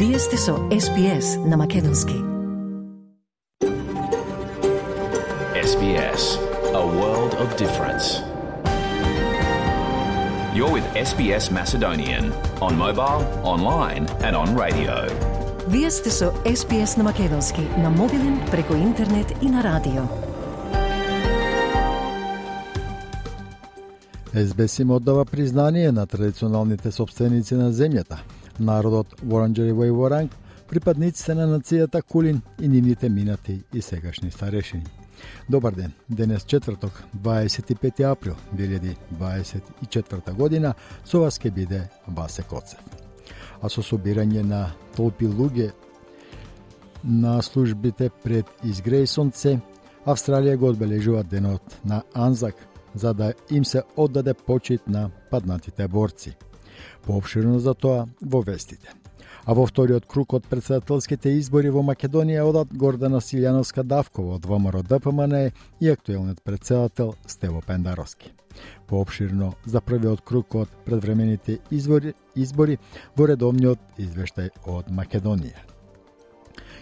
Вие сте со SBS на Македонски. SBS, a world of difference. You're with SBS Macedonian on mobile, online and on radio. Вие сте со SBS на Македонски на мобилен, преку интернет и на радио. SBS им оддава признание на традиционалните собственици на земјата, народот Воранџери и Воранг, припадниците на нацијата Кулин и нивните минати и сегашни старешини. Добар ден, денес четврток, 25 април 2024 година, со вас ке биде Васе Коцев. А со собирање на толпи луѓе на службите пред Изгрейсонце, Австралија го одбележува денот на Анзак, за да им се оддаде почит на паднатите борци. Пообширно за тоа во вестите. А во вториот круг од председателските избори во Македонија одат Гордана Силјановска-Давкова од ВМРО ДПМН и актуелниот председател Стево Пендаровски. Пообширно за првиот круг од предвремените избори во редовниот извештај од Македонија.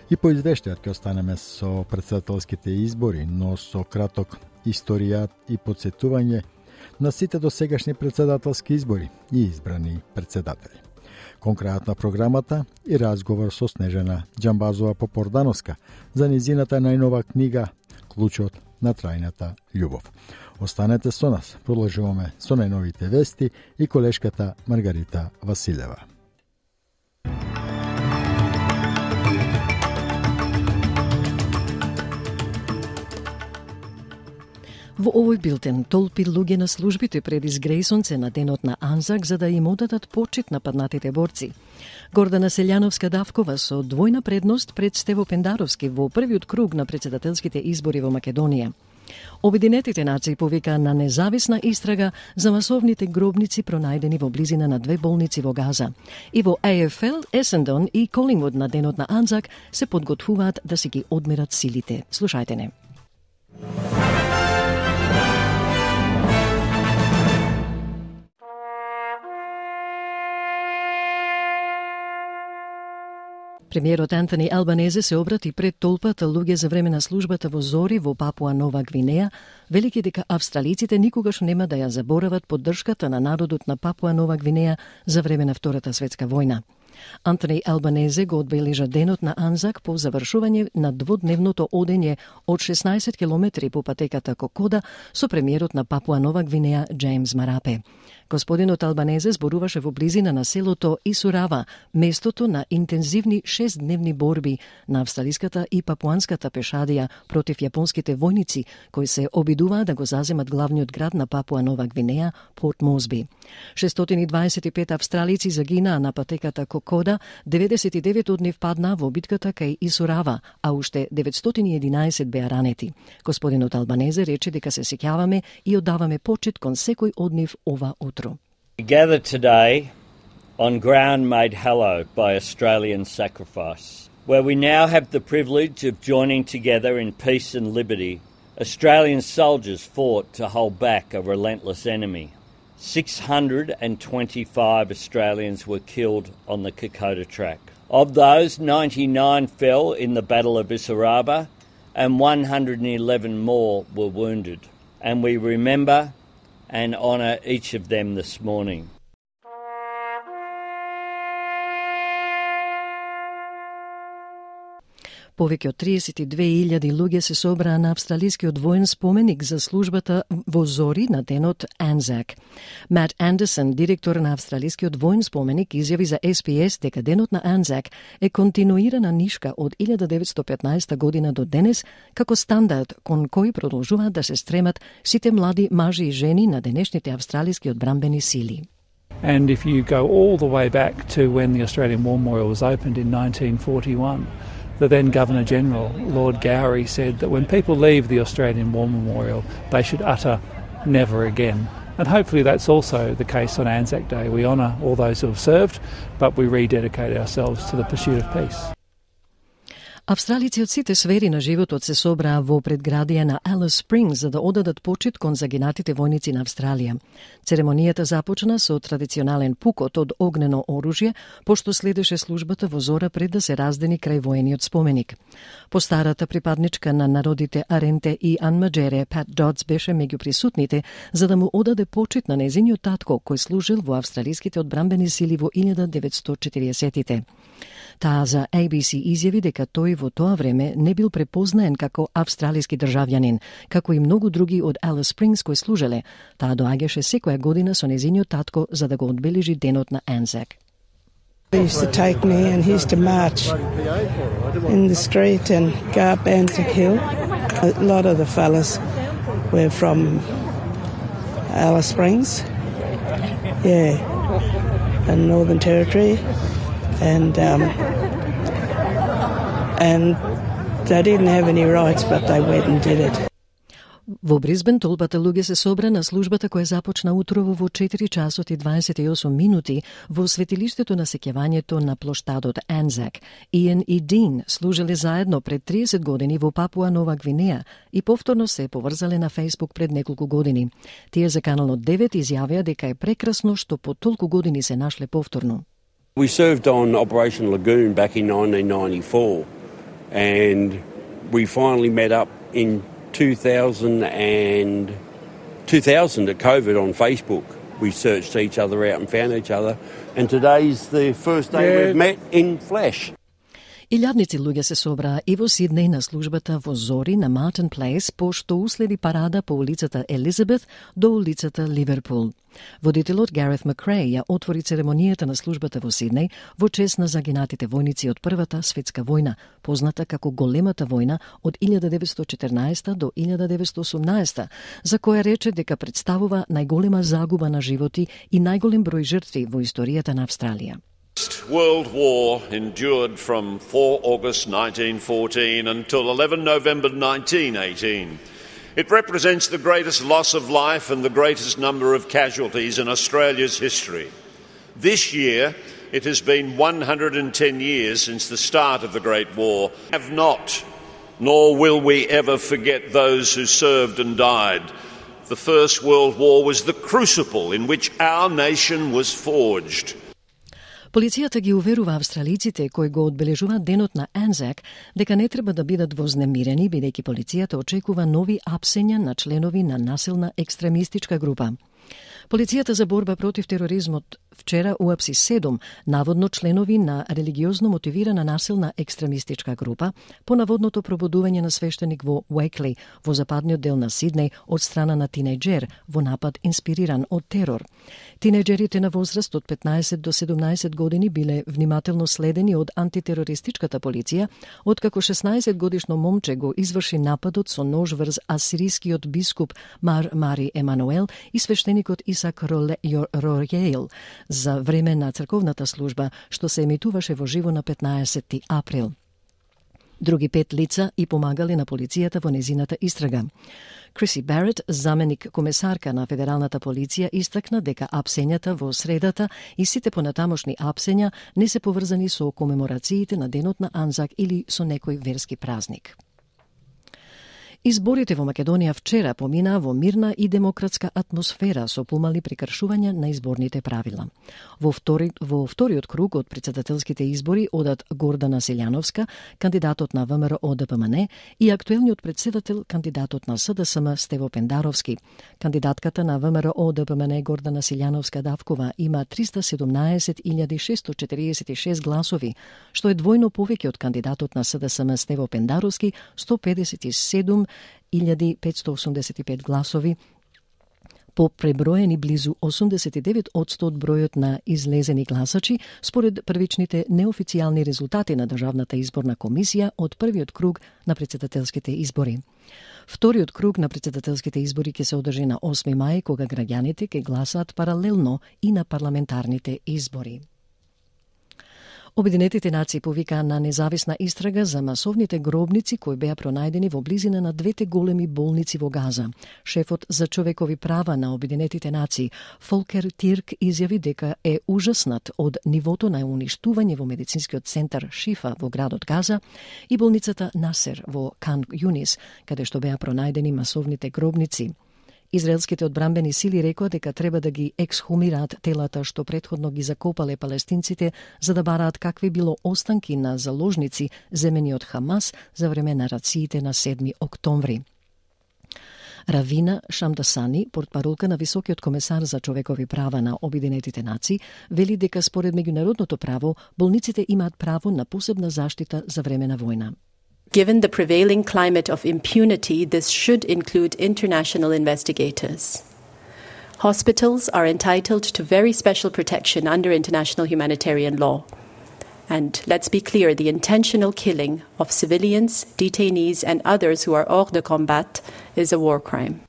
И по извештајот ќе останеме со председателските избори, но со краток историјат и подсетување на сите досегашни председателски избори и избрани председатели. Кон крајот на програмата и разговор со Снежана Џамбазова-Попордановска за низината најнова книга Клучот на трајната љубов. Останете со нас, продолжуваме со најновите вести и колешката Маргарита Василева. Во овој билтен толпи луѓе на службите пред Изгрейсонце на денот на Анзак за да им одадат почит на паднатите борци. Гордана Силјановска-Давкова со двојна предност пред Стево Пендаровски во првиот круг на председателските избори во Македонија. Обединетите нации повика на независна истрага за масовните гробници пронајдени во близина на две болници во Газа. И во AFL, Есендон и Колингвуд на денот на Анзак се подготвуваат да си ги одмерат силите. Слушајте не. Премиерот Антони Албанезе се обрати пред толпата луѓе за време на службата во Зори во Папуа Нова Гвинеја, велики дека австралиците никогаш нема да ја заборават поддршката на народот на Папуа Нова Гвинеја за време на Втората светска војна. Антони Албанезе го одбележа денот на Анзак по завршување на дводневното одење од 16 километри по патеката Кокода со премиерот на Папуа Нова Гвинеја Джеймс Марапе. Господинот Албанезе зборуваше во близина на селото Исурава, местото на интензивни 6-дневни борби на австралиската и папуанската пешадија против јапонските војници, кои се обидуваа да го заземат главниот град на Папуа Нова Гвинеја, Порт Мозби. 625 австралици загинаа на патеката Кокода, 99 од нив паднаа во битката кај Исурава, а уште 911 беа ранети. Господинот Албанезе рече дека се сеќаваме и оддаваме почит кон секој од нив ова утро. We gather today on ground made hallowed by Australian sacrifice, where we now have the privilege of joining together in peace and liberty. Australian soldiers fought to hold back a relentless enemy. 625 Australians were killed on the Kokoda track. Of those, 99 fell in the Battle of Issaraba and 111 more were wounded. And we remember and honour each of them this morning. Повеќе од 32.000 луѓе се собраа на австралискиот воен споменик за службата во Зори на денот Анзак. Мат Андерсон, директор на австралискиот воен споменик, изјави за SBS дека денот на Анзак е континуирана нишка од 1915 година до денес како стандард кон кој продолжуваат да се стремат сите млади мажи и жени на денешните австралиски одбранбени сили. And if you go all the way back to when the Australian War Memorial was opened in 1941, the then Governor-General, Lord Gowrie, said that when people leave the Australian War Memorial, they should utter never again. And hopefully that's also the case on Anzac Day. We honour all those who have served, but we rededicate ourselves to the pursuit of peace. Австралици од сите сфери на животот се собраа во предградија на Alice Springs за да одадат почит кон загинатите војници на Австралија. Церемонијата започна со традиционален пукот од огнено оружје, пошто следеше службата во зора пред да се раздени крај воениот споменик. Постарата припадничка на народите Аренте и Анмаджере, Пат Додс, беше меѓу присутните за да му одаде почит на незиниот татко кој служил во австралиските одбранбени сили во 1940-тите. Таа за ABC изјави дека тој во тоа време не бил препознаен како австралиски државјанин, како и многу други од Alice Springs кои служеле. Таа доаѓаше секоја година со незиниот татко за да го одбележи денот на Anzac. He used to take me and he used to march in the street and go up Anzac Hill. A lot of the fellas were from Alice Springs, the Northern Territory, and they didn't have any rights, but they went and did it. Во Брисбен толпата луѓе се собра на службата која започна утрово во 4 часот и 28 минути во светилиштето на сеќавањето на плоштадот Anzac. Иен и Дин служеле заедно пред 30 години во Папуа Нова Гвинеја и повторно се поврзале на Facebook пред неколку години. Тие за Каналот 9 изјавија дека е прекрасно што по толку години се нашле повторно. We served on Operation Lagoon back in 1994 and we finally met up in 2000 at COVID on Facebook. We searched each other out and found each other, and today's the first day we've met in flesh. Илјадници луѓе се собраа и во Сиднеј на службата во зори на Mountain Place, пошто уследи парада по улицата Елизабет до улицата Ливерпул. Водителот Гарет Макрей ја отвори церемонијата на службата во Сиднеј во чест на загинатите војници од Првата светска војна, позната како Големата војна од 1914 до 1918, за која рече дека представува најголема загуба на животи и најголем број жртви во историјата на Австралија. World War endured from 4 August 1914 until 11 November 1918. It represents the greatest loss of life and the greatest number of casualties in Australia's history. This year, it has been 110 years since the start of the Great War. We have not, nor will we ever forget those who served and died. The First World War was the crucible in which our nation was forged. Полицијата ги уверува австралиците кои го одбележуваат денот на Anzac дека не треба да бидат вознемирени, бидејќи полицијата очекува нови апсења на членови на насилна екстремистичка група. Полицијата за борба против тероризмот вчера уапси 7 наводно членови на религиозно мотивирана насилна екстремистичка група по наводното пробудување на свештеник во Уейкли, во западниот дел на Сиднеј, од страна на тинејџер во напад инспириран од терор. Тинејџерите на возраст од 15 до 17 години биле внимателно следени од антитерористичката полиција, откако 16 годишно момче го изврши нападот со нож врз асирискиот бискуп Мари Емануел и свештеникот Исак Ројейл за време на црковната служба, што се емитуваше во живо на 15 април. Други 5 лица и помагали на полицијата во незината истрага. Криси Барет, заменик комесарка на федералната полиција, истакна дека апсењата во средата и сите понатамошни апсења не се поврзани со комеморациите на денот на Anzac или со некој верски празник. Изборите во Македонија вчера поминаа во мирна и демократска атмосфера со помали прекршувања на изборните правила. Во вториот круг од претседателските избори одат Гордана Силјановска, кандидатот на ВМРО ДПМН, и актуелниот претседател, кандидатот на СДСМ Стево Пендаровски. Кандидатката на ВМРО ДПМН Гордана Силјановска Давкова има 317.646 гласови, што е двојно повеќе од кандидатот на СДСМ Стево Пендаровски 157.585 гласови, по преброени близу 89% од бројот на излезени гласачи, според првичните неофицијални резултати на Државната изборна комисија од првиот круг на претседателските избори. Вториот круг на претседателските избори ќе се одржи на 8 мај, кога граѓаните ќе гласаат паралелно и на парламентарните избори. Обединетите нации повикаа на независна истрага за масовните гробници кои беа пронајдени во близина на двете големи болници во Газа. Шефот за човекови права на Обединетите нации, Фолкер Тирк, изјави дека е ужаснат од нивото на уништување во медицинскиот центар Шифа во градот Газа и болницата Насер во Кан Юнис, каде што беа пронајдени масовните гробници. Израелските одбранбени сили рекоа дека треба да ги ексхумираат телата што претходно ги закопале палестинците за да бараат какви било останки на заложници земени од Хамас за време на рациите на 7 октомври. Равина Шамдасани, портпаролка на Високиот комесар за човекови права на Обединетите нации, вели дека според меѓународното право, болниците имаат право на посебна заштита за време на војна. Given the prevailing climate of impunity, this should include international investigators. Hospitals are entitled to very special protection under international humanitarian law. And let's be clear, the intentional killing of civilians, detainees and others who are hors de combat is a war crime.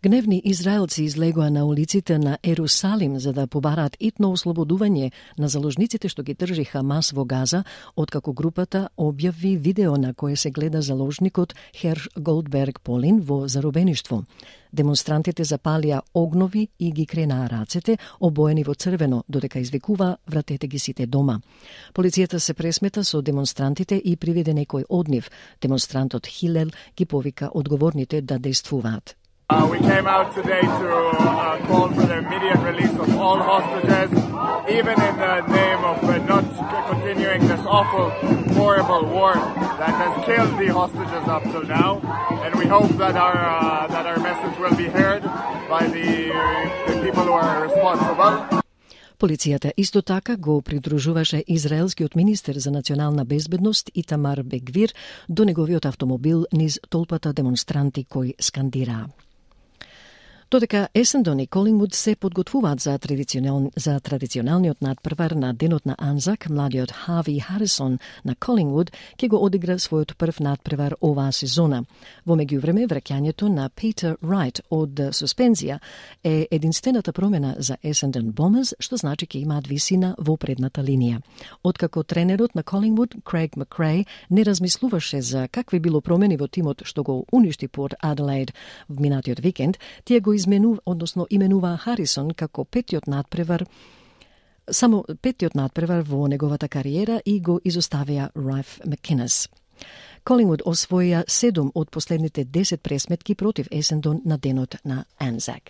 Гневни израелци излегоа на улиците на Ерусалим за да побараат итно ослободување на заложниците што ги држи Хамас во Газа, откако групата објави видео на кое се гледа заложникот Херш Голдберг Полин во заробеништво. Демонстрантите запалија огнови и ги кренаа рацете, обоени во црвено, додека извикува вратете ги сите дома. Полицијата се пресмета со демонстрантите и приведе некој од нив. Демонстрантот Хилел ги повика одговорните да действуваат. We came out today to call for the immediate release of all hostages, even in the name of not continuing this awful, horrible war that has killed the hostages up till now. And we hope that our message will be heard by the people who are responsible. Полицијата исто така го придружуваше израелскиот министер за национална безбедност Итамар Бен-Гвир до неговиот автомобил низ толпата демонстранти кои скандираа. Додека Есендон и Колингвуд се подготвуваат за традиционалниот надпревар на денот на Анзак, младиот Хави Харисон на Колингвуд ќе го одигра својот прв надпревар оваа сезона. Во меѓувреме, враќањето на Питер Рајт од суспензија е единствената промена за Есендон Бомерс, што значи ќе имаат висина во предната линија. Откако тренерот на Колингвуд, Крейг Макрей, не размислуваше за какви било промени во тимот што го уништи Порт Аделаид в минатиот викенд, тие го именува Харисон како само петтиот надпревар во неговата кариера и го изоставија Райф Макинес. Колингвуд освоја 7 од последните 10 пресметки против Есендон на денот на Анзак.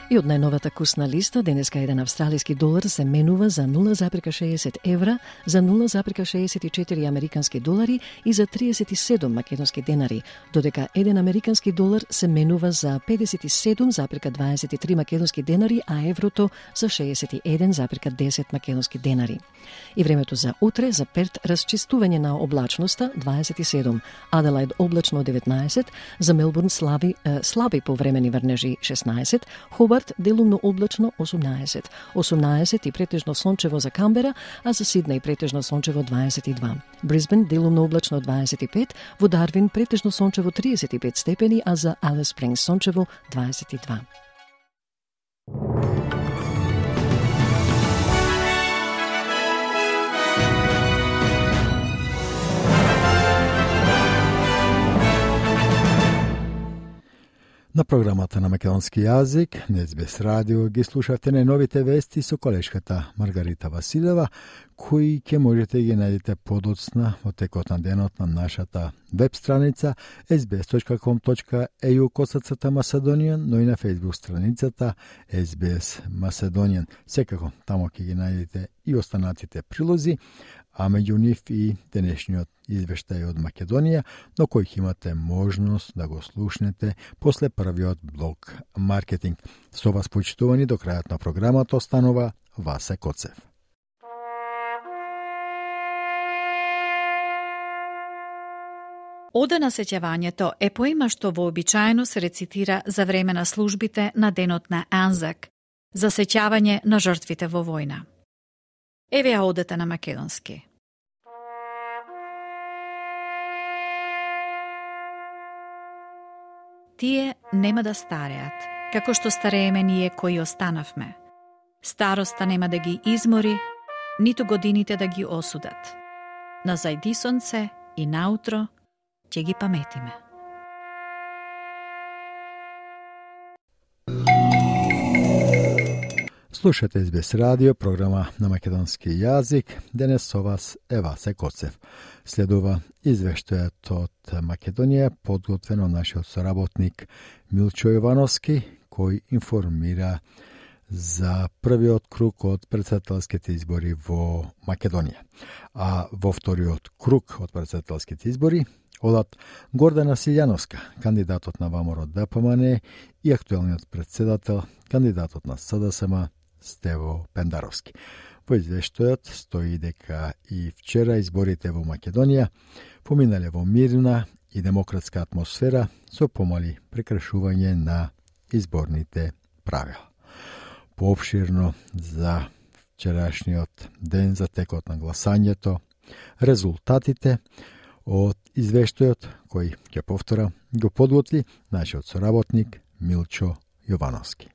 И од најновата курсна листа, денеска еден австралиски долар се менува за 0,60 евра, за 0,64 американски долари и за 37 македонски денари, додека еден американски долар се менува за 57,23 македонски денари, а еврото за 61,10 македонски денари. И времето за утре, за Перт, расчистување на облачноста 27, Аделаид облачно 19, за Мелбурн слаби повремени врнежи 16, Хобарт делумно облачно 18 и претежно сончево за Камбера, а за Сиднеј претежно сончево 22. Брисбен делумно облачно 25, во Дарвин претежно сончево 35 степени, а за Алис Спрингс сончево 22. На програмата на македонски јазик, на СБС радио, ги слушавте најновите вести со колешката Маргарита Василева, кои ќе можете ги најдете подоцна во текот на денот на нашата веб страница sbs.com.eu/Macedonian, но и на Facebook страницата SBS Macedonian. Секако, тамо ќе ги најдете и останатите прилози, а меѓу нив и денешниот извештај од Македонија, но кој ќе имате можност да го слушнете после првиот блок маркетинг. Со вас почитувани до крајот на програмата останува Васе Коцев. Ода на сеќавањето е поема што вообичаено се рецитира за време на службите на денот на Анзак, за сеќавање на жртвите во војна. Еве ја одата на македонски. Тие нема да стареат, како што старееме ние кои останавме. Староста нема да ги измори, ниту годините да ги осудат. На зајди сонце и наутро ќе ги паметиме. Слушате СБС радио, програма на македонски јазик. Денес со вас е Васе Коцев. Следува извештајот од Македонија, подготвен од нашиот соработник Милчо Јовановски, кој информира за првиот круг од претседателските избори во Македонија. А во вториот круг од претседателските избори одат Гордана Силјановска, кандидатот на ВМРО-ДПМН, и актуелниот претседател, кандидатот на СДСМ Стево Пендаровски. Во извештајот стои дека и вчера изборите во Македонија поминале во мирна и демократска атмосфера со помали прекршување на изборните правила. Поопширно за вчерашниот ден, за текот на гласањето, резултатите од извештајот кој, ќе повторам, го подготви нашиот соработник Милчо Јовановски.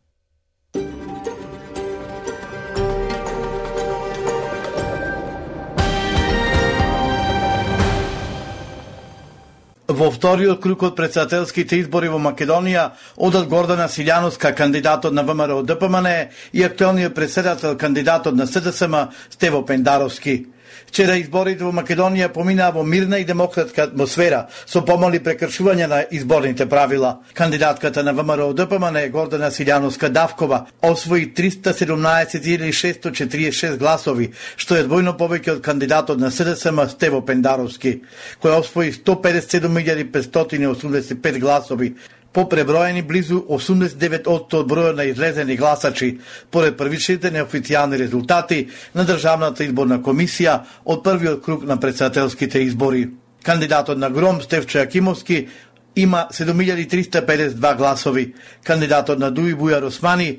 Во вториот круг од претседателските избори во Македонија одат Гордана Силјановска, кандидатот на ВМРО-ДПМН, и актуелниот претседател, кандидатот на СДСМ Стево Пендаровски. Вчера изборите во Македонија поминаа во мирна и демократска атмосфера со помали прекршување на изборните правила. Кандидатката на ВМРО-ДПМН Гордана Силјановска Давкова освои 317.646 гласови, што е двојно повеќе од кандидатот на СДСМ Стево Пендаровски, кој освои 157.585 гласови, по преброени близу 89% од бројот на излезени гласачи, поред првичните неофицијални резултати на Државната изборна комисија од првиот круг на претседателските избори. Кандидатот на ГРОМ Стефчо Јакимовски има 7.352 гласови, кандидатот на ДУИ Бујар Османи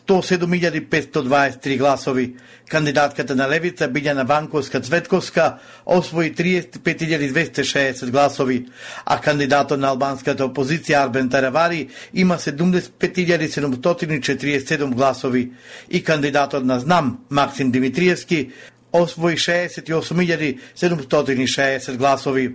107.523 гласови. Кандидатката на Левица Билјана Ванковска-Цветковска освои 35.260 гласови, а кандидатот на албанската опозиција Арбен Таравари има 75.747 гласови и кандидатот на ЗНАМ Максим Димитриевски освои 68.760 гласови.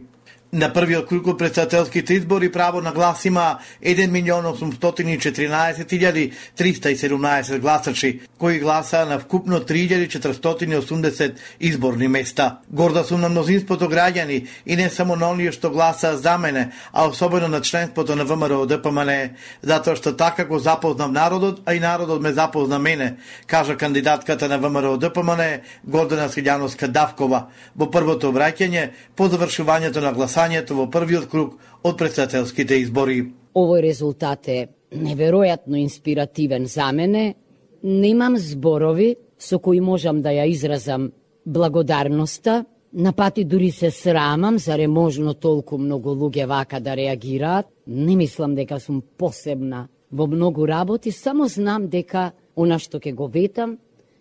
На првиот круг од претседателските избори право на глас има 1.814.317 гласачи, кои гласаа на вкупно 3.480 изборни места. Горда сум на мнозинството граѓани и не само на оние што гласаа за мене, а особено на членството на ВМРО-ДПМН, затоа што така го запознав народот, а и народот ме запозна мене, кажа кандидатката на ВМРО-ДПМН Гордана Силјановска Давкова во првото обраќање по завршувањето на гласањето во првиот круг од претседателските избори. Овој резултат е неверојатно инспиративен за мене. Немам зборови со кои можам да ја изразам благодарноста. На пати дури се срамам, заре можно толку многу луѓе вака да реагираат. Не мислам дека сум посебна во многу работи, само знам дека она што ќе го ветам,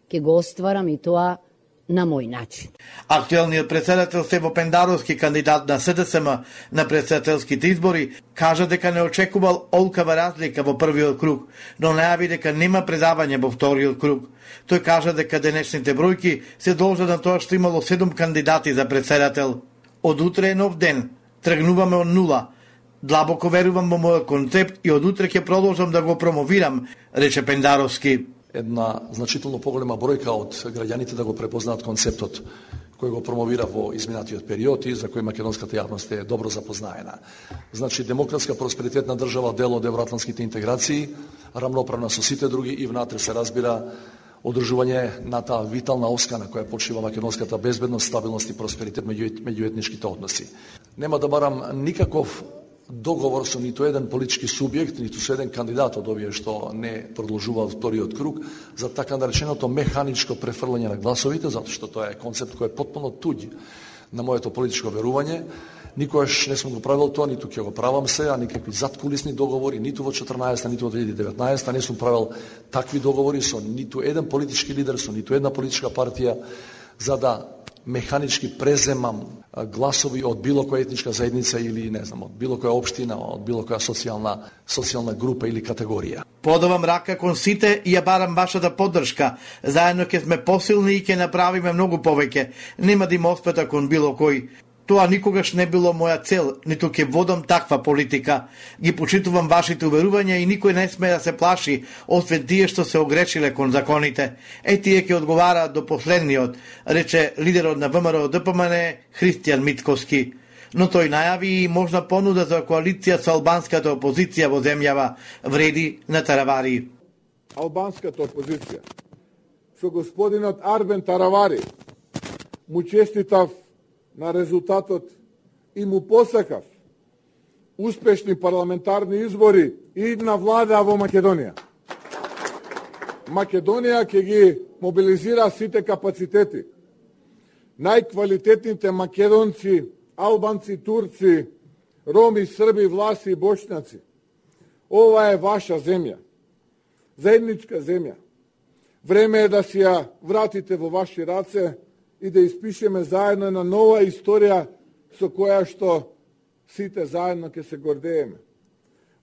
ќе го остварам и тоа на мој начин. Актуелниот претседател Стево Пендаровски, кандидат на СДСМ на претседателските избори, кажа дека не очекувал олкава разлика во првиот круг, но најави дека нема предавање во вториот круг. Тој кажа дека денешните бројки се должат на тоа што имало 7 кандидати за претседател. Од утре е нов ден, тргнуваме од нула. Длабоко верувам во мојот концепт и од утре ќе продолжам да го промовирам, рече Пендаровски. Една значително поголема бројка од граѓаните да го препознаат концептот кој го промовира во изминатиот период и за кој македонската јавност е добро запознаена. Значи, демократска просперитетна држава, дел од евроатлантските интеграции, рамноправна со сите други и внатре се разбира одржување на таа витална оска на која почива македонската безбедност, стабилност и просперитет меѓу етничките односи. Нема да барам никаков договор со ниту еден политички субјект, ниту со еден кандидат од овие што не продолжува вториот круг за така нареченото механичко префрлање на гласовите, затоа што тоа е концепт кој е потпуно туѓ на моето политичко верување. Никогаш не сум го правил тоа, ниту ќе го правам сега, никакви заткулисни договори, ниту во 14-та, ниту во 2019-та, не сум правил такви договори со ниту еден политички лидер, со ниту една политичка партија, за да механички преземам гласови од било која етничка заедница или не знам, од било која општина, од било која социјална група или категорија. Подавам рака кон сите и ја барам вашата поддршка. Заедно ќе сме посилни и ќе направиме многу повеќе. Нема да има оспета кон било кој. Тоа никогаш не било моја цел, ниту ќе водам таква политика. Ги почитувам вашите уверувања и никој не сме да се плаши, освен тие што се огрешиле кон законите. Тие ќе одговараат до последниот, рече лидерот на ВМРО ДПМН Христијан Мицковски. Но тој најави и можна понуда за коалиција со албанската опозиција во земјава, вреди на Таравари. Албанската опозиција со господинот Арбен Таравари му честитав на резултатот и му посакав успешни парламентарни избори и на влада во Македонија. Македонија ќе ги мобилизира сите капацитети. Најквалитетните македонци, албанци, турци, роми, срби, власи и бошњаци. Ова е ваша земја. Заедничка земја. Време е да си ја вратите во ваши раце и да испишеме заедно на нова историја со која што сите заедно ќе се гордееме.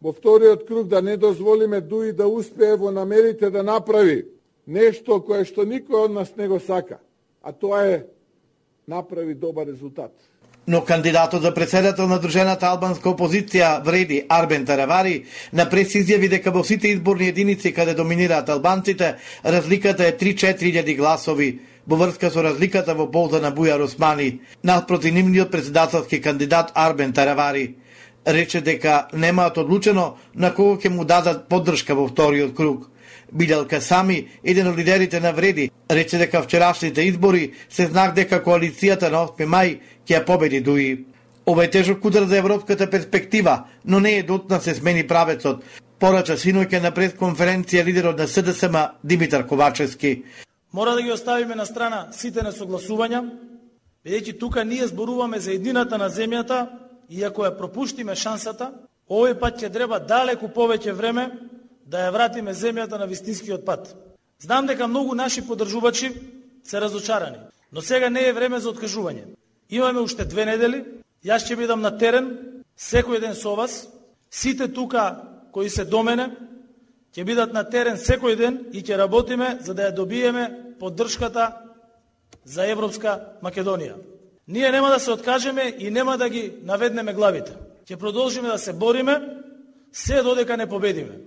Во вториот круг да не дозволиме Дуи да успее во намерите да направи нешто кое што никој од нас не го сака, а тоа е направи добар резултат. Но кандидатот за председател на Дружената албанска опозиција вреди Арбен Таравари на прес изјави дека во сите изборни единици каде доминираат албанците, разликата е 3-4 гласови, во врска со разликата во полза на Бујар Османи, наспроти нивниот председателски кандидат Арбен Таравари. Рече дека немаат одлучено на кого ќе му дадат поддршка во вториот круг. Билјал Касами, еден од лидерите на вреди, рече дека вчерашните избори се знак дека коалицијата на 8 мај ќе ја победи Дуи. Ова е тежок удар за европската перспектива, но не е дотна се смени правецот, порача синоќа на пресконференција лидерот на СДСМ Димитар Ковачевски. Мора да ги оставиме на страна сите несогласувања, бидејќи тука ние зборуваме за едината на земјата и ако ја пропуштиме шансата, овој пат ќе треба далеку повеќе време да ја вратиме земјата на вистинскиот пат. Знам дека многу наши поддржувачи се разочарани, но сега не е време за откажување. Имаме уште 2 недели, јас ќе бидам на терен секој ден со вас, сите тука кои се до мене ќе бидат на терен секој ден и ќе работиме за да ја добиеме поддршката за Европска Македонија. Ние нема да се откажеме и нема да ги наведнеме главите. Ќе продолжиме да се бориме се додека не победиме.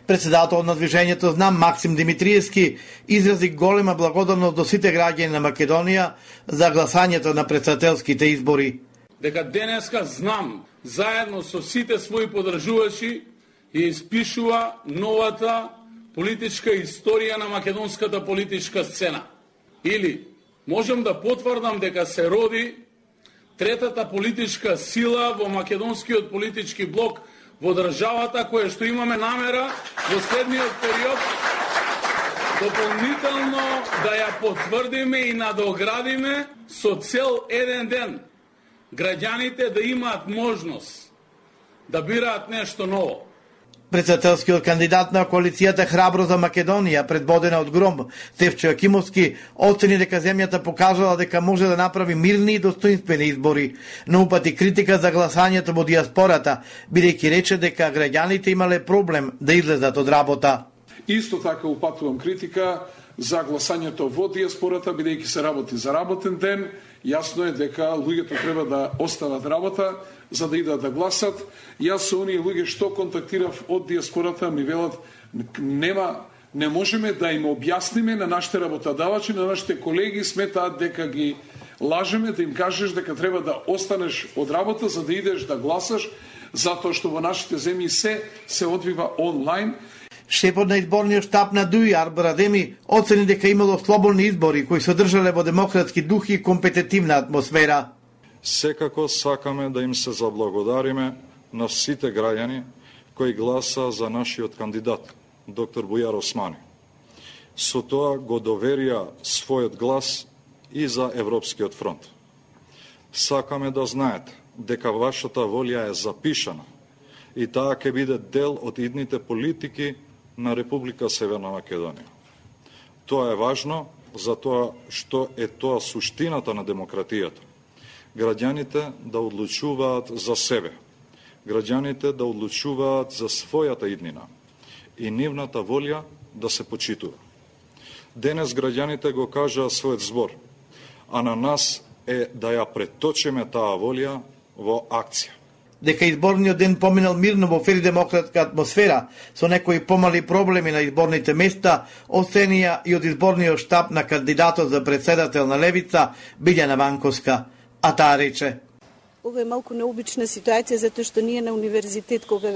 Председател на движењето Знам Максим Димитриевски изрази голема благодарност до сите граѓани на Македонија за гласањето на председателските избори. Дека денеска Знам заедно со сите своји поддржувачи ја испишува новата политичка историја на македонската политичка сцена. Или можем да потврдам дека се роди третата политичка сила во македонскиот политички блок во државата, која што имаме намера во следниот период дополнително да ја потврдиме и надоградиме со цел еден ден граѓаните да имаат можност да бираат нешто ново. Председателскиот кандидат на коалицијата Храбро за Македонија, предводена од Гром, Стефчо Јакимовски, оцени дека земјата покажала дека може да направи мирни и достоинствени избори, но упати критика за гласањето во диаспората, бидејќи рече дека граѓаните имале проблем да излезат од работа. Исто така упатувам критика за гласањето во диаспората, бидејќи се работи за работен ден. Јасно е дека луѓето треба да остават работа за да идат да гласат. Јас со оние луѓе што контактирав од диаспората ми велат не можеме да им објасниме на нашите работодавачи, на нашите колеги, сметаат дека ги лажеме, да им кажеш дека треба да останеш од работа за да идеш да гласаш, затоа што во нашите земји се одвива онлайн. Шефот на изборниот штаб на Дуи Арбер Адеми оцени дека имало слободни избори кои се одржале во демократски дух и компетитивна атмосфера. Секако сакаме да им се заблагодариме на сите граѓани кои гласа за нашиот кандидат, доктор Бујар Османи. Со тоа го доверија својот глас и за Европскиот фронт. Сакаме да знаете дека вашата волја е запишана и таа ќе биде дел од идните политики на Република Северна Македонија. Тоа е важно за тоа што е тоа суштината на демократијата. Граѓаните да одлучуваат за себе, граѓаните да одлучуваат за својата иднина и нивната волја да се почитува. Денес граѓаните го кажаа својот збор, а на нас е да ја преточиме таа волја во акција. Дека изборниот ден поминал мирно во фер демократска атмосфера, со некои помали проблеми на изборните места, оценија и од изборниот штаб на кандидатот за председател на Левица, Билјана Ванковска, а таа рече: Ова е малку необична ситуација, затоа што ние на универзитет, кога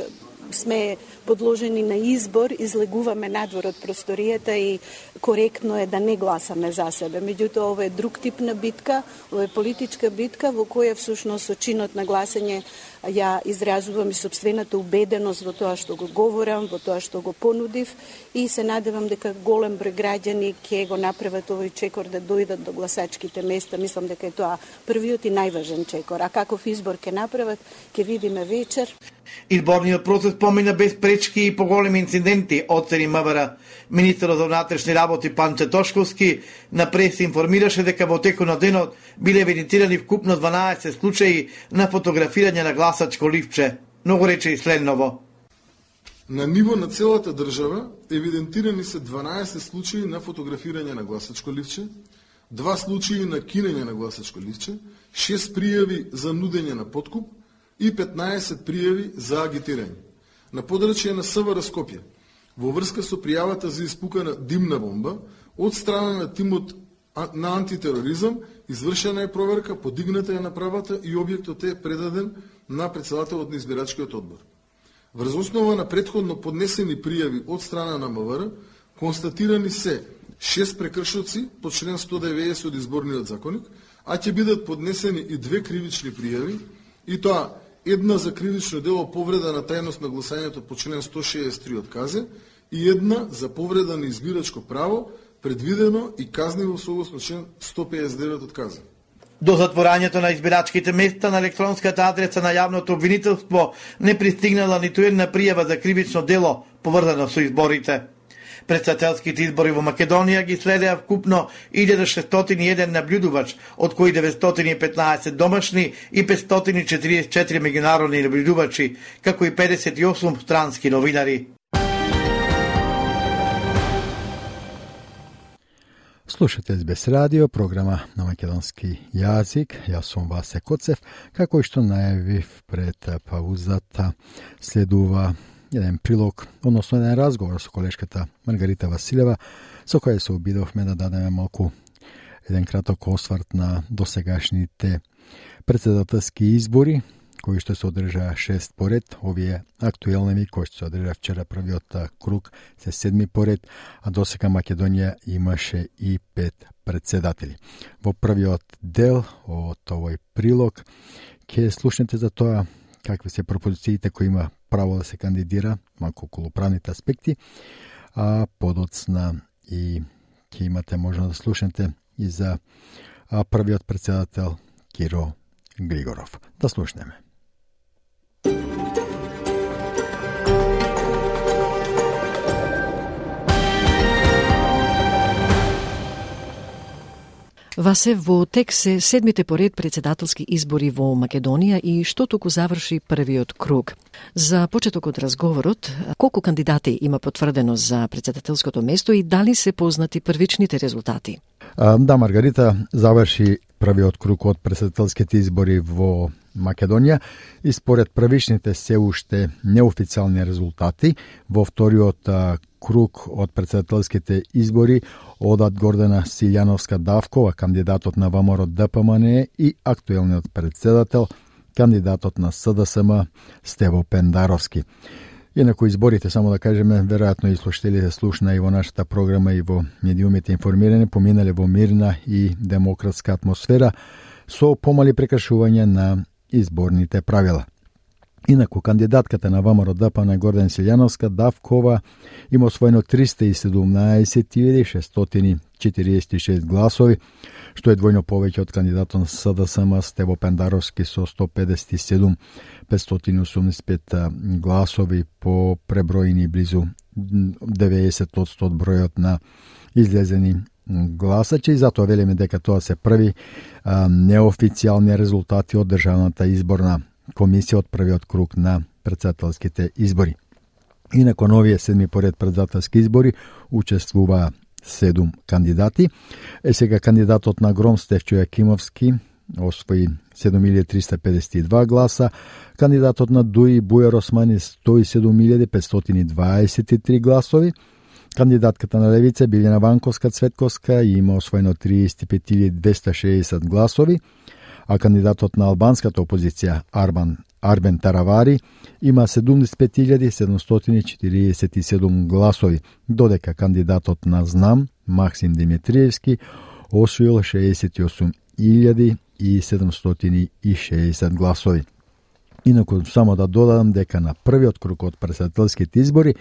сме подложени на избор, излегуваме надвор од просторијата и коректно е да не гласаме за себе. Меѓутоа, ова е друг тип на битка, ова е политичка битка во која всушност со чинот на гласање ја изразувам и собствената убеденост во тоа што го говорам, во тоа што го понудив и се надевам дека голем број граѓани ќе го направат овој чекор да дојдат до гласачките места. Мислам дека е тоа првиот и најважен чекор. А каков избор ќе направат, ќе видиме вечер. Изборниот процес помина без пречки и поголеми инциденти, оцени МВР. Министерот за внатрешни работи Панче Тошковски на прес информираше дека во текот на денот биле евидентирани вкупно 12 случаи на фотографирање на гласачко ливче. Но го рече и следново: На ниво на целата држава евидентирани се 12 случаи на фотографирање на гласачко ливче, 2 случаи на кинење на гласачко ливче, 6 пријави за нудење на подкуп и 15 пријави за агитирање. На подрачје на СВР Скопје, во врска со пријавата за испукана димна бомба, од страна на тимот на антитероризам, извршена е проверка, подигната е направата и објектот е предаден на председателот на избирачкиот одбор. Врз основа на предходно поднесени пријави од страна на МВР, констатирани се 6 прекршоци по член 190 од изборниот законник, а ќе бидат поднесени и 2 кривични пријави, и тоа една за кривично дело повреда на тајност на гласањето по член 163 од КАЗЕ и една за повреда на избирачко право, предвидено и казниво согласно член 159 од КАЗЕ. До затворањето на избирачките места на електронската адреса на јавното обвинителство не пристигнала ниту една пријава за кривично дело поврзано со изборите. Председателските избори во Македонија ги следеа вкупно 1601 наблюдувач, од кои 915 домашни и 544 меѓународни наблюдувачи, како и 58 странски новинари. Слушате СБС радио, програма на македонски јазик. Јас сум Васе Коцев. Како и што најавив пред паузата, следува еден прилог, односно еден разговор со колешката Маргарита Василева, со која се обидовме да дадеме малку еден краток осврт на досегашните председателски избори, кои што се одржаа 6 поред, овие актуелни кои што се одржаа вчера првиот круг се 7 поред, а досега Македонија имаше и 5 председатели. Во првиот дел од овој прилог ќе слушнете за тоа какви се пропозициите кои има право да се кандидира, малку околу правните аспекти, а подоцна и ќе имате можност да слушнете и за првиот председател Киро Григоров. Да слушнеме. Васе, во тек се 7-те поред председателски избори во Македонија и што току заврши првиот круг. За почеток од разговорот, колку кандидати има потврдено за председателското место и дали се познати првичните резултати? Да, Маргарита, заврши првиот круг од председателските избори во Македонија и според првичните се уште неофицијални резултати во вториот круг од председателските избори одат Гордана Силјановска-Давкова, кандидатот на ВМРО ДПМН и актуелниот председател, кандидатот на СДСМ Стево Пендаровски. Инаку изборите, само да кажеме, веројатно и слушателите слушна и во нашата програма и во медиумите информирани, поминале во мирна и демократска атмосфера со помали прекршување на изборните правила. Инаку, кандидатката на ВМРО ДПМН Гордан Силјановска-Давкова има освоено 317.646 гласови, што е двојно повеќе од кандидатот на СДСМ Стево Пендаровски со 157.585 гласови по преброени близу 90% од бројот на излезени гласачи и затоа велиме дека тоа се први неофицијални резултати од Државната изборна комисија од првиот круг на претседателските избори. И након овие 7 поред претседателски избори учествуваа 7 кандидати. Сега кандидатот на Гром Стефчо Јакимовски освои 7352 гласа, кандидатот на Дуи Бујар Османи 107.523 гласови, кандидатката на Левица Билјана Ванковска Цветковска има освоено 35.260 гласови, а кандидатот на албанската опозиција Арбен Таравари има 75.747 гласови, додека кандидатот на Знам Максим Димитриевски освоил 68.760 гласови. Инаку само да додадам дека на првиот круг од претседателските избори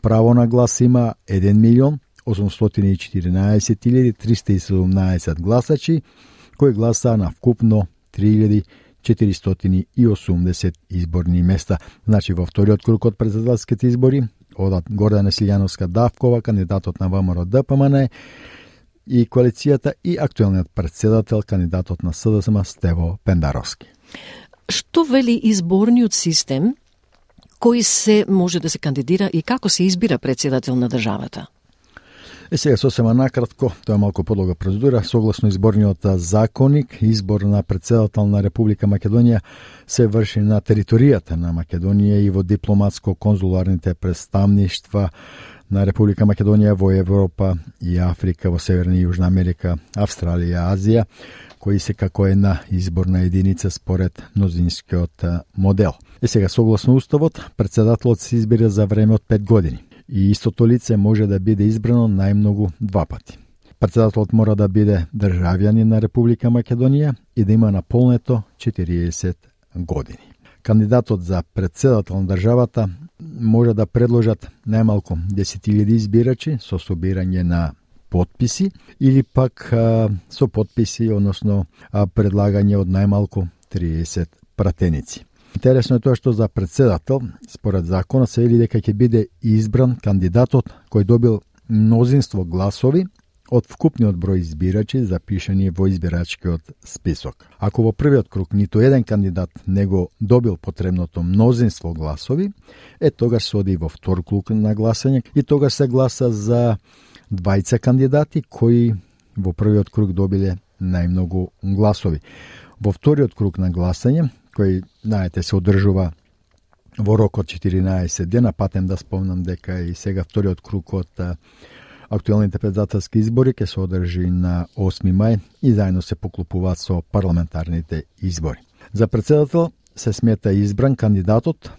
право на глас има 1.814.317 гласачи, кои гласаа на вкупно 3.480 изборни места. Значи во вториот круг од претседателските избори одат Гордана Силјановска Давкова, кандидатот на ВМРО ДПМН и коалицијата, и актуелниот претседател, кандидатот на СДСМ Стево Пендаровски. Што вели изборниот систем, кој се може да се кандидира и како се избира претседател на државата? Сега сосема накратко, тоа е малку подлога процедура. Согласно изборниот законник, избор на претседател на Република Македонија се врши на територијата на Македонија и во дипломатско-конзуларните представништва на Република Македонија во Европа и Африка, во Северна и Јужна Америка, Австралија, Азија, кои се како една изборна единица според мнозинскиот модел. Сега, согласно уставот, претседателот се избира за време од 5 години и истото лице може да биде избрано најмногу 2 пати. Претседателот мора да биде државјанин на Република Македонија и да има наполнето 40 години. Кандидатот за претседател на државата може да предложат најмалку 10.000 избирачи со собирање на подписи или пак со подписи, односно предлагање од најмалку 30 пратеници. Интересно е тоа што за претседател, според законот, се вели дека ќе биде избран кандидатот кој добил мнозинство гласови од вкупниот број избирачи запишани во избирачкиот список. Ако во првиот круг ниту еден кандидат не го добил потребното мнозинство гласови, тогаш се оди во втор круг на гласање и тогаш се гласа за двајца кандидати кои во првиот круг добиле најмногу гласови. Во вториот круг на гласање, кој, знаете, се одржува во рок од 14 дена, патем да спомнам дека и сега вториот круг од актуелните претседателски избори ќе се одржи на 8 мај и заедно се поклопуваат со парламентарните избори. За претседател се смета избран кандидатот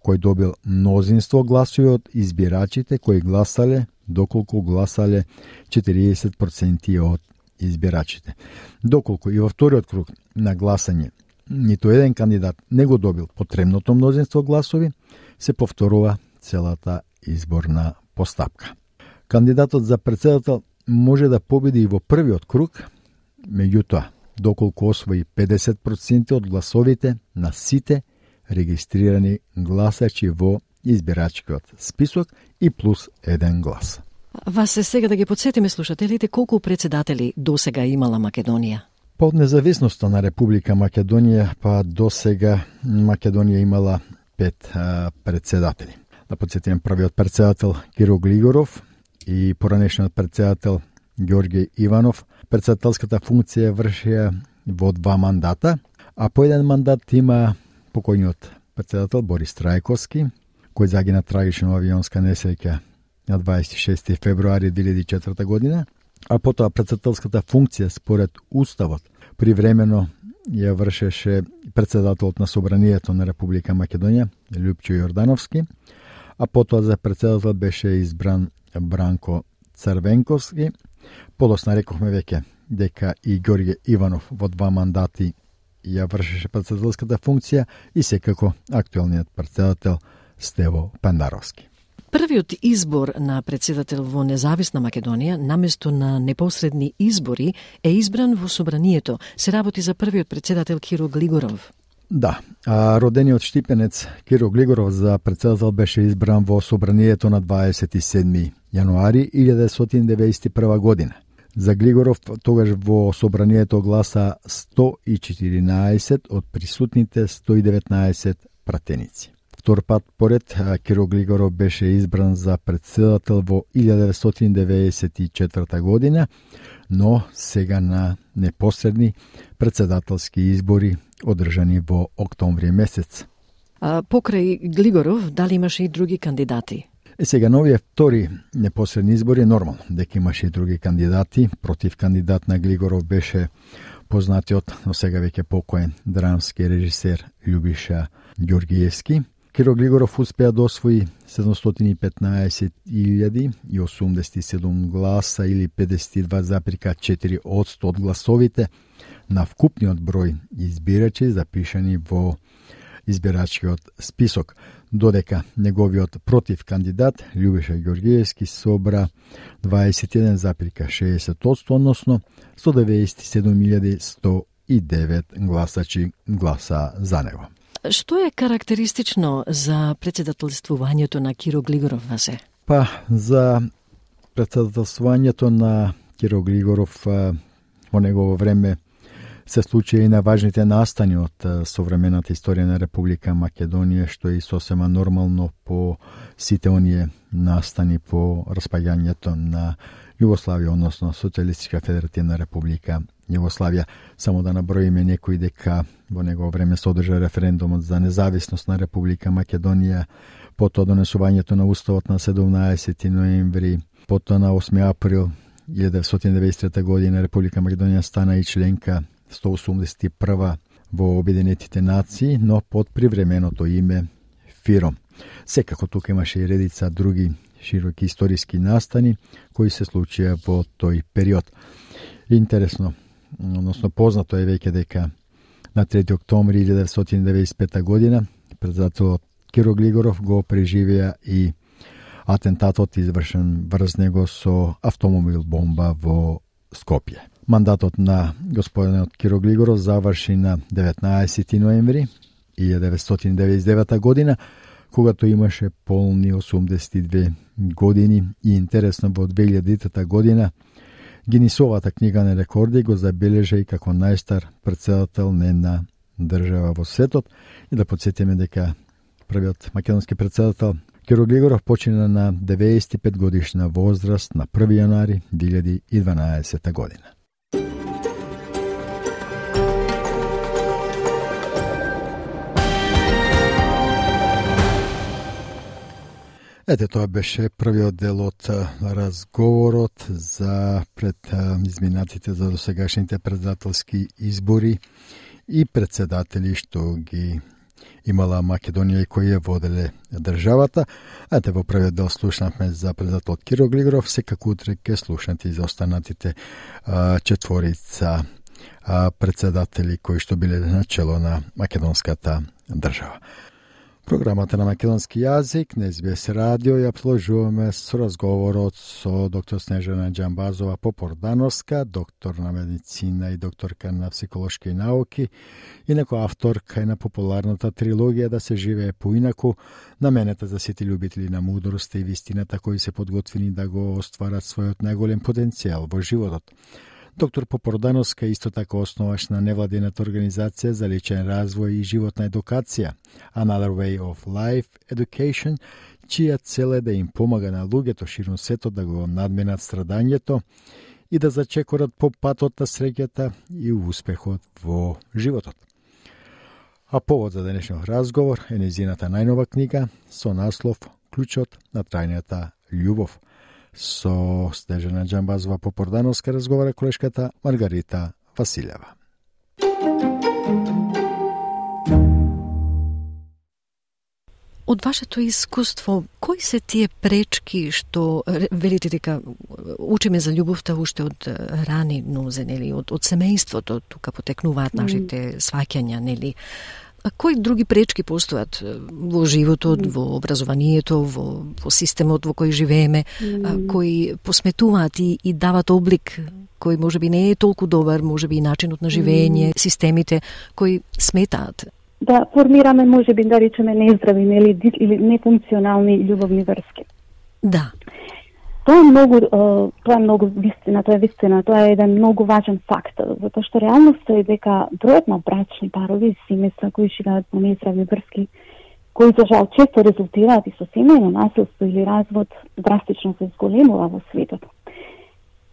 кој добил мнозинство гласови од избирачите кои гласале доколку гласале 40% од избирачите. Доколку и во вториот круг на гласање ниту еден кандидат не го добил потребното мнозинство гласови, се повторува целата изборна постапка. Кандидатот за претседател може да победи и во првиот круг, меѓутоа, доколку освои 50% од гласовите на сите регистрирани гласачи во избирачкиот список и плюс 1 глас. Вас се сега да ги подсетиме слушателите колку претседатели досега имала Македонија? Под независноста на Република Македонија, па досега Македонија имала 5 претседатели. Да подсетиме првиот претседател Киро Глигоров и поранешниот претседател Ѓорѓе Иванов. Претседателската функција вршија во 2 мандата, а по 1 мандат има покојниот претседател Борис Трајковски, кој загина трагично авионска несреќа на 26. февруари 2004 година, а потоа претседателската функција според уставот привремено ја вршеше претседателот на Собранието на Република Македонија Љупчо Јордановски, а потоа за претседател беше избран Бранко Црвенковски. Подосна рековме веќе дека и Ѓорѓе Иванов во 2 мандати ја вршеше претседателската функција и секако актуелниот претседател Стево Пендаровски. Првиот избор на претседател во независна Македонија, наместо на непосредни избори, е избран во Собранието. Се работи за првиот претседател Киро Глигоров. Да, а родениот штипенец Киро Глигоров за претседател беше избран во Собранието на 27. јануари 1991 година. За Глигоров тогаш во собранието гласа 114 од присутните 119 пратеници. Втор пат поред Киро Глигоров беше избран за претседател во 1994 година, но сега на непосредни претседателски избори одржани во октомври месец. А покрај Глигоров, дали имаше и други кандидати? Сега на овие втори непосредни избори е нормално дека имаше и други кандидати. Против кандидат на Глигоров беше познатиот, но сега веќе покоен драмски режисер Љубиша Ѓоргиевски. Киро Глигоров успеа да освои 715.087 гласа или 52,4% од гласовите на вкупниот број избирачи запишани во избирачкиот список, додека неговиот против кандидат Љубиша Ѓоргиевски собра 21,60%, односно 197.109 гласачи гласа за него. Што е карактеристично за председателствувањето на Киро Глигоров, Васе? Па, за председателствувањето на Киро Глигоров во негово време се случи и на важните настани од современата историја на Република Македонија, што е сосема нормално по сите оние настани по распаѓањето на Југославија, односно Социјалистичка Федеративна Република Југославија. Само да наброиме некои дека во негово време се одржа референдумот за независност на Република Македонија, потоа донесувањето на Уставот на 17 ноември, потоа на 8 април 1993 година Република Македонија стана и членка 181 во Обединетите нации, но под привременото име ФИРОМ. Секако тука имаше и редица други широки историски настани кои се случија во тој период. Интересно, односно познато е веќе дека на 3 октомври 1995 година председателот Киро Глигоров го преживеа и атентатот извршен врз него со автомобил бомба во Скопје. Мандатот на господинот Киро Глигоров заврши на 19 ноември 1999 година, когато имаше полни 82 години и интересно во 2000 година Гинисовата книга на рекорди го забележа и како најстар председател на една држава во светот. И да подсетиме дека првиот македонски председател Киро Глигоров почина на 95 годишна возраст на 1 јануари 2012 година. Ете, тоа беше првиот дел од разговорот за пред изминатите за досегашните председателски избори и председатели што ги имала Македонија и кои ја воделе државата. Ете, во првиот дел слушнавме за председател Киро Глигоров, секако утре ќе слушнете и за останатите четворица председатели кои што биле на чело на македонската држава. Програмата на македонски јазик на СБС радио ја продолжуваме со разговорот со доктор Снежана Џамбазова Попордановска, доктор на медицина и докторка на психолошки науки, инако авторка и на популарната трилогија Да се живее поинаку, наменета за сите љубители на мудроста и вистината кои се подготвени да го остварат својот најголем потенцијал во животот. Доктор Попордановска исто така основаш на невладината организација за личен развој и животна едукација, Another Way of Life Education, чија цел е да им помага на луѓето ширум светот да го надменат страдањето и да зачекорат по патот на среќата и успехот во животот. А повод за денешниот разговор е нејзината најнова книга со наслов Клучот на трајната љубов. Со Снежана Џамбазова Попордановска разговара колешката Маргарита Василева. Од вашето искуство, кои се тие пречки што велите дека учиме за љубовта уште од рани нозе, нели, од семејството, тука потекнуваат нашите сваќања, нели? А кои други пречки постојат во животот, во образованието, во системот во кој живееме, кои посметуваат и дават облик кој можеби не е толку добар, можеби и начинот на живење, системите кои сметаат? Да формираме, можеби, да речеме, нездрави или нефункционални љубовни врски. Да. Тоа е многу вистина, тоа е еден многу важен факт, затоа што реалноста е дека бројот на брачни парови и семејства кои живеат во нездрави врски, кои за жал често резултираат и со семејно насилство или развод, драстично се зголемува во светот.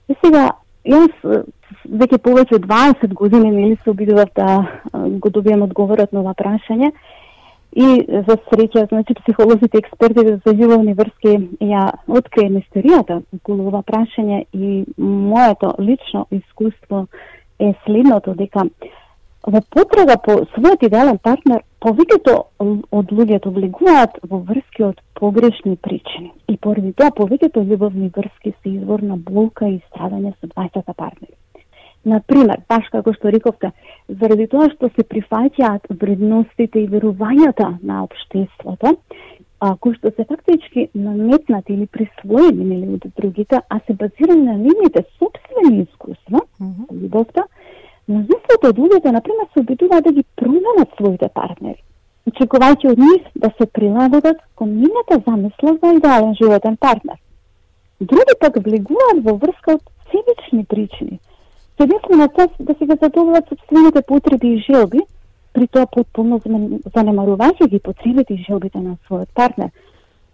И сега, јас веќе повеќе од 20 години нели се обидував да го добием одговорот на ова прашање. И за среќа, значи, психолозите, експертите за љубовни врски ја открие мистеријата околу ова прашање и моето лично искуство е следното, дека во потрага по својот идеален партнер, повеќето од луѓето влегуваат во врски од погрешни причини. И поради тоа повеќето љубовни врски се извор на болка и страдање со двајцата партнери. Например, баш како што рековте, заради тоа што се прифаќаат вредностите и верувањата на општеството, кои што се фактички наметнати или присвоени нели од другите, а се базирани на нивните сопствени искуства, љубовта, мнозинството од луѓето, например, се обидуваат да ги променат своите партнери, очекувајќи од нив да се прилагодат кон нивната замисла за идеален животен партнер. Други пак влегуваат во врска од себични причини, се единствено цел да се ги задоволат сопствените потреби и желби, при тоа потполно занемарувајќи ги потребите и желбите на својот партнер.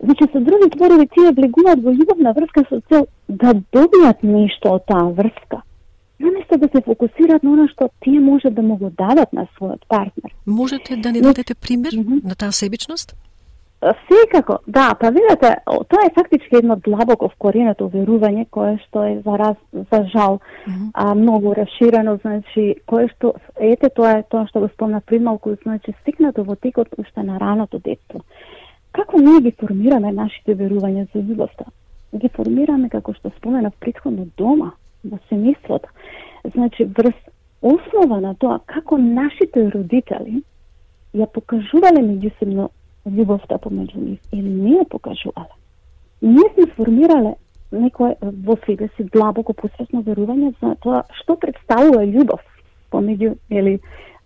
Значи, со други зборови, тие влегуваат во љубовна врска со цел да добијат нешто од таа врска, наместо да се фокусираат на она што тие може да му го дадат на својот партнер. Можете да ни дадете пример на таа себичност? Секако, да, па видите, тоа е фактички едно длабоко вкоренето верување кое што е за жал многу расширено, значи кое што тоа е тоа што го спомнав пред малку, значи стикнато во текот уште на раното детство. Како ние ги формираме нашите верувања за љубовта? Ги формираме, како што споменав претходно, дома, во семејството. Значи врз основа на тоа како нашите родители ја покажувале меѓусебно љубовта помеѓу нив или не ја покажувале. Ние сме формирале некое во себе си длабоко посвесно верување за тоа што представува љубов помеѓу или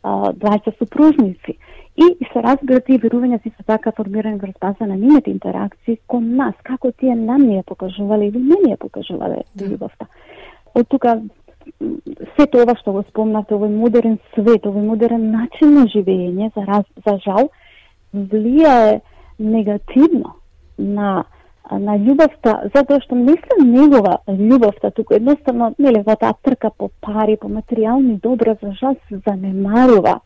двајца супружници. И се разбира, тие верувања си се така формирани врз база на нивните интеракции кон нас, како тие нам не ја покажувале или не ја покажувале љубовта. Од тука сето ова што го спомнавте, овој модерен свет, овој модерен начин на живење, за жал, влијае негативно на љубовта, затоа што не се негова љубовта, туку едноставно, нели, во таа трка по пари, по материјални добра, за жал се занемарува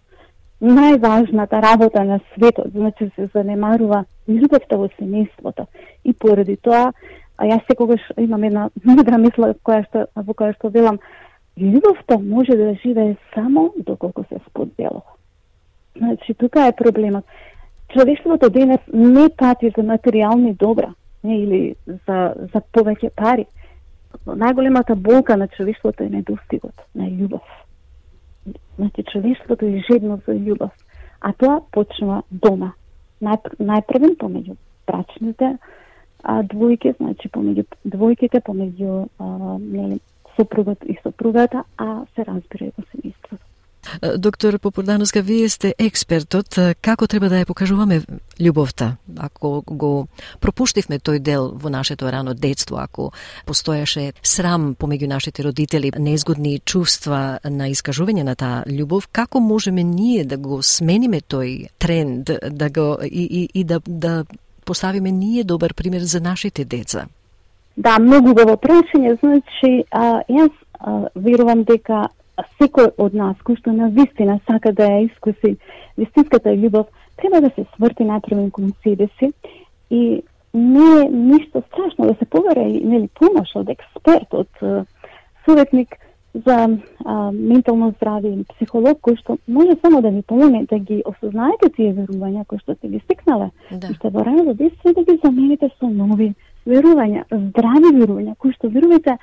најважната работа на светот, значи се занемарува љубовта во семејството. И поради тоа, јас секогаш имам една мудра мисла во која што велам, љубовта може да живее само доколку се споделува. Значи, тука е проблемот. Човештвото денес не пати за материјални добра, или за повеќе пари. Најголемата болка на човештвото е недостигот на љубов. Значи, човештвото е жедно за љубов. А тоа почнува дома. Најпрвен помеѓу брачните двојки, значи помеѓу двојките, помеѓу сопругот и сопругата, а се разбира и во семејството. Доктор Попурдановска, вие сте експертот. Како треба да ја покажуваме љубовта? Ако го пропуштивме тој дел во нашето рано детство, ако постоеше срам помеѓу нашите родители, неизгодни чувства на искажување на таа љубов, како можеме ние да го смениме тој тренд, да поставиме ние добар пример за нашите деца? Да, многу добро прашање. Значи, јас верувам дека секој од нас, кој што на вистина сака да ја искуси вистинската љубов, треба да се сврти најпрво кон себе си и не е ништо страшно да се побара и нели помош од експерт, од советник за ментално здравје и психолог кој што може само да ви помогне да ги осознаете тие верувања кои што сте ги стикнале. И што во раното детство да ги замените со нови верувања, здрави верувања кои што верувате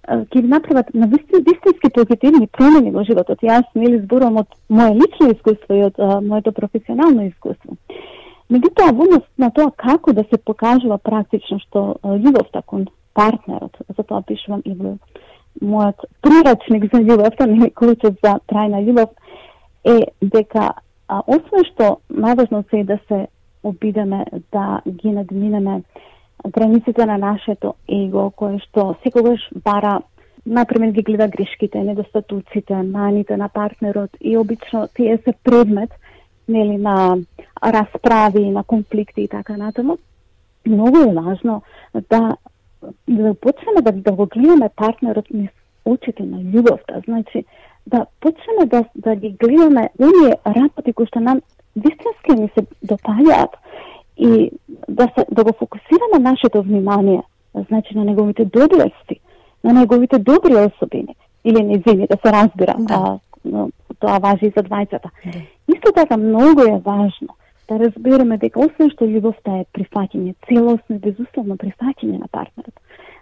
ќе направат на вистински позитивни промени во животот. Јас нели зборувам од моје лично искуство и од моето професионално искуство. Меѓутоа, во однос на тоа како да се покажува практично што љубовта кон партнерот, затоа пишувам и во мојот прирачник за љубовта, нели клучот за трајна љубов, е дека освен што најважно се е да се обидеме да ги надминеме границите на нашето его, кое што секогаш бара, например, ги гледа грешките, недостатоците, маните на партнерот и обично тие се предмет, нели, на расправи, на конфликти и така натаму. Многу е важно да почнеме да го гледаме партнерот низ очите на љубовта, значи да почнеме да ги гледаме оние работи кои што нам вистински ни се допаѓаат и да го фокусираме нашето внимание, значи на неговите доблести, на неговите добри особини или незини, да се разбира, тоа важи и за двајцата. Исто така многу е важно да разбереме дека освен што љубовта е прифаќање, целосно и безусловно прифаќање на партнерот,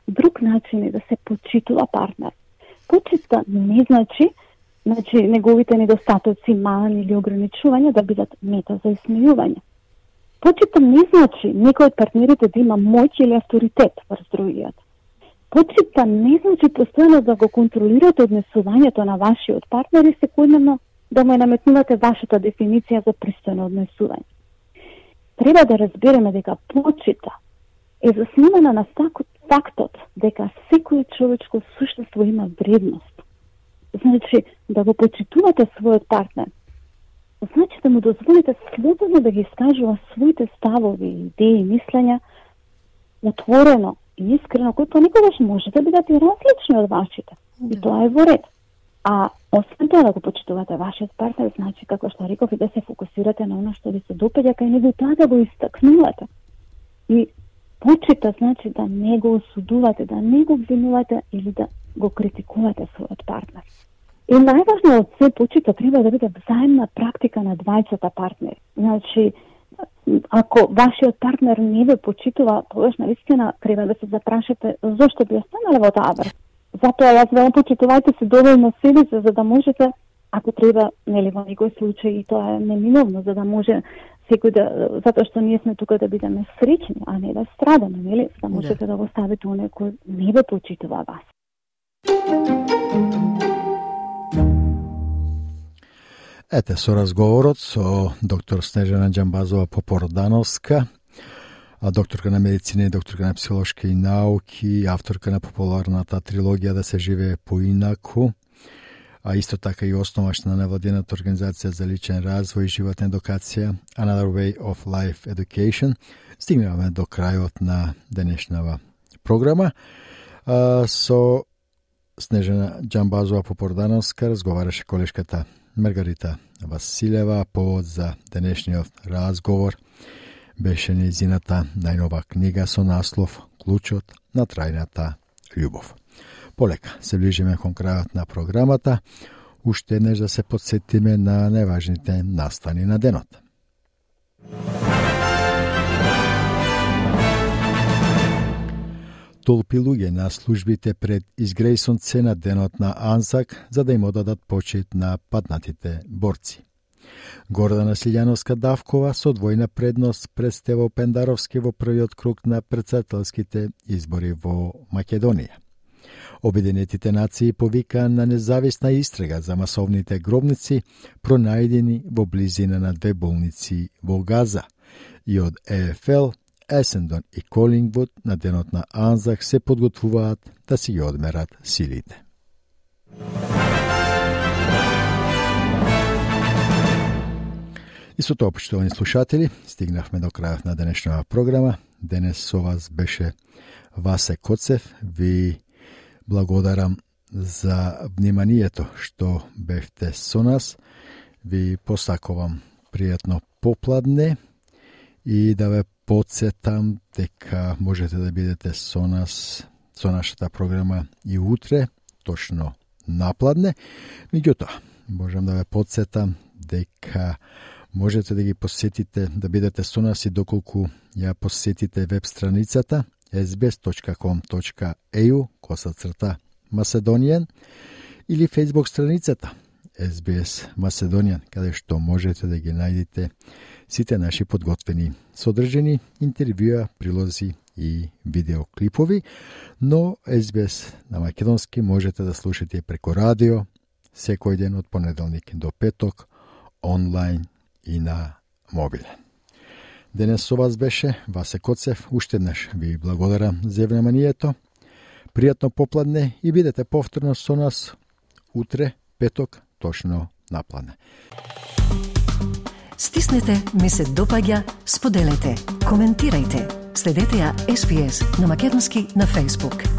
друг начин е да се почитува партнер. Почита не значи неговите недостатоци, мани или ограничувања да бидат мета за исмејување. Почита не значи некој од партнерите да има моќ или авторитет врз другиот. Почита не значи постојано да го контролирате однесувањето на вашиот партнер и секојдневно да му наметнувате вашата дефиниција за пристојно однесување. Треба да разбереме дека почита е заснувана на фактот дека секој човечко суштество има вредност. Значи, да го почитувате својот партнер, значи да му дозволите слободно да ги искажува своите ставови, идеи, мислења, отворено и искрено, кои понекогаш може да бидат и различни од вашите. И тоа е во ред. А освен тоа да го почитувате вашиот партнер, значи, како што реков, и да се фокусирате на она што ви се допаѓа кај него, тоа да го истакнувате. И почита значи да не го осудувате, да не го обвинувате или да го критикувате својот партнер. И најважно од се почита треба да биде взаимна практика на двајцата партнери. Значи, ако вашиот партнер не ве почитува, тогаш навистина треба да се запрашате зошто би останале во таа врска. Затоа јас веќе почитувајте се доволно себе се, за да можете, ако треба, нели, во некој случај, и тоа е неминовно, за да може секој да, затоа што ние сме тука да бидеме среќни, а не да страдаме, нели, за да можете да го ставите оној кој не ве почитува вас. Ете, со разговорот со доктор Снежана Џамбазова-Попордановска, докторка на медицина и докторка на психолошки науки, авторка на популарната трилогија Да се живее поинаку, а исто така и основач на невладината организација за личен развој и животна едукација Another Way of Life Education. Стигнаваме до крајот на денешнава програма. Со Снежана Џамбазова-Попордановска разговараше колешката Маргарита Василева. Повод за денешниот разговор беше нејзината најнова книга со наслов Клучот на трајната љубов. Полека се ближиме кон крајот на програмата, уште еднаш да се подсетиме на најважните настани на денот. Толпи луѓе на службите пред изгрејсонце на денот на Анзак за да им одадат почит на паднатите борци. Гордана Силјановска-Давкова со двојна предност пред Стево Пендаровски во првиот круг на претседателските избори во Македонија. Обединетите нации повика на независна истрага за масовните гробници пронајдени во близина на две болници во Газа и од ЕФЛ, Есендон и Колингвуд на денот на Анзак се подготвуваат да си ги одмерат силите. И со тоа, почитувани слушатели, стигнавме до крајот на денешната програма. Денес со вас беше Васе Коцев. Ви благодарам за вниманието што бевте со нас. Ви посакувам пријатно попладне и да ве подсетам дека можете да бидете со нас, со нашата програма и утре, точно напладне. Меѓутоа, можам да ве подсетам дека можете да ги посетите, да бидете со нас и доколку ја посетите веб страницата sbs.com.eu/Macedonian или Facebook страницата SBS Macedonian, каде што можете да ги најдете сите наши подготвени содржини, интервјуа, прилози и видеоклипови, но SBS на македонски можете да слушате преку радио секој ден од понеделник до петок, онлайн и на мобилен. Денес со вас беше Васе Коцев. Уште еднаш ви благодарам за вниманието. Пријатно попладне и бидете повторно со нас утре, петок, точно на плане. Стиснете, ми се допаѓа, споделете, коментирајте. Следете ја SPS на македонски на Facebook.